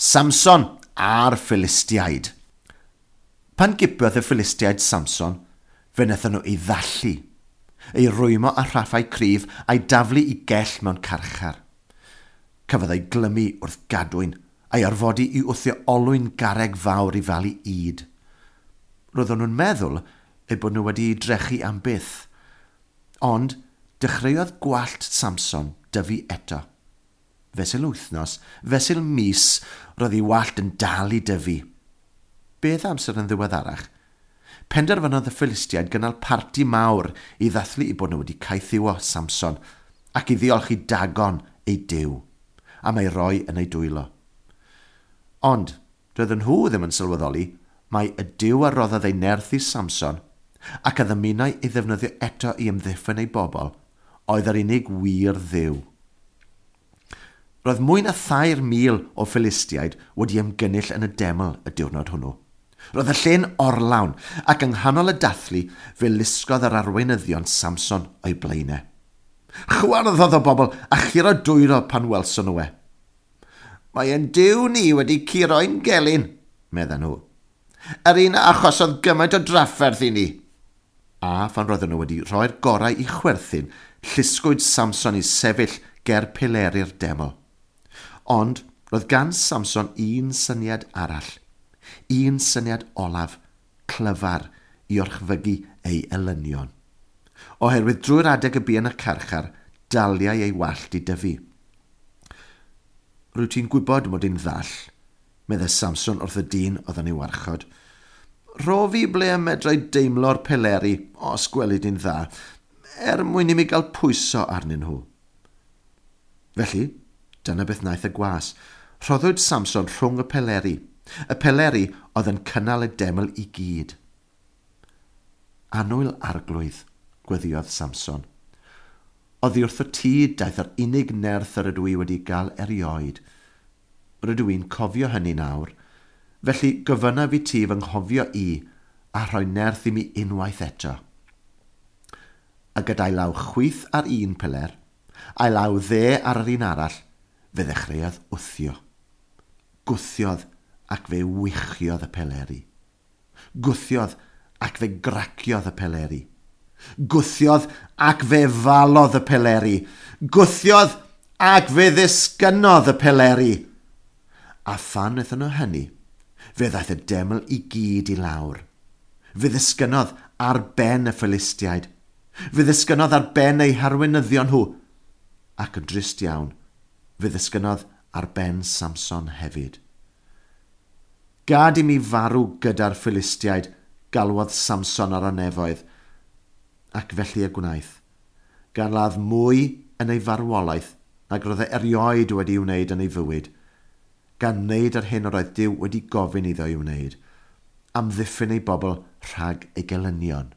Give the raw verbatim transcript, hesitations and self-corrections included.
Samson a'r Philistiaid. Pan gipiodd y Philistiaid Samson, fe wnaethon nhw ei ddallu, ei rwymo â rhaffau cryf a'i daflu i gell mewn carchar. Cafodd ei glymu wrth gadwyn a'i orfodi i wthio olwyn garreg fawr i falu ŷd. Roedden nhw'n meddwl eu bod nhw wedi ei drechu am byth. Ond dechreuodd gwallt Samson dyfu eto. Fesul wythnos, fesul mis, roedd ei wallt yn dal i dyfu. Beth amser yn ddiweddarach? Penderfynodd y Philistiaid gynnal parti mawr i ddathlu eu bod nhw wedi caethiwo Samson ac i ddiolch i Dagon ei duw am ei roi yn ei dwylo. Ond doedden nhw ddim yn sylweddoli mai y duw a roddodd ei nerth i Samson ac a ddymunai ei ddefnyddio eto i amddiffyn ei bobl oedd yr unig wir dduw. Roedd mwy na thair mil o Philistiaid wedi ymgynnull yn y deml y diwrnod hwnnw. Roedd y lle'n orlawn ac yng nghanol y dathlu fe lusgodd yr arweinyddion Samson o'i blaenau. Chwarddodd y bobl a churo dwylo pan welson nhw e. Mae ein duw ni wedi curo ein gelyn, medden nhw. Yr un a achosodd gymaint o drafferth i ni. A phan roedden nhw wedi rhoi'r gorau i chwerthin, llusgwyd Samson i sefyll ger pileri'r deml. Ond roedd gan Samson un syniad arall, un syniad olaf, clyfar, i orchfygu ei elynion. Oherwydd drwy'r adeg y bu yn y carchar, daliai ei wallt i dyfu. Rwyt ti'n gwybod mod i'n ddall, meddai Samson wrth y dyn oedd yn ei warchod. Rho fi ble y medrai deimlo'r pileri, os gweli di'n dda, er mwyn i mi gael pwyso arnyn nhw. Felly, dyna beth wnaeth y gwas. Rhoddwyd Samson rhwng y pileri. Y pileri oedd yn cynnal y deml i gyd. Annwyl Arglwydd, gweddïodd Samson. Oddi wrtho ti daeth yr unig nerth yr ydw i wedi gael erioed. Rydw i'n cofio hynny nawr. Felly gofynnaf i ti fy nghofio i a rhoi nerth i mi unwaith eto. A gyda'i law chwith ar un piler, a'i law dde ar yr un arall, fe ddechreuodd wthio. Gwthiodd ac fe wichiodd y pileri. Gwthiodd ac fe graciodd y pileri. Gwthiodd ac fe falodd y pileri. Gwthiodd ac fe ddisgynnodd y pileri. A phan wnaethon nhw hynny, fe ddaeth y deml i gyd i lawr. Fe ddisgynnodd ar ben y Philistiaid. Fe ddisgynnodd ar ben eu harweinyddion nhw. Ac yn drist iawn, fe ddisgynnodd ar ben Samson hefyd. Gad i mi farw gyda'r Philistiaid, galwodd Samson ar y nefoedd, ac felly y gwnaeth, gan ladd mwy yn ei farwolaeth nag roedd e erioed wedi wneud yn ei fywyd, gan wneud yr hyn yr oedd Duw wedi gofyn iddo ei wneud, amddiffyn ei bobl rhag ei gelynion.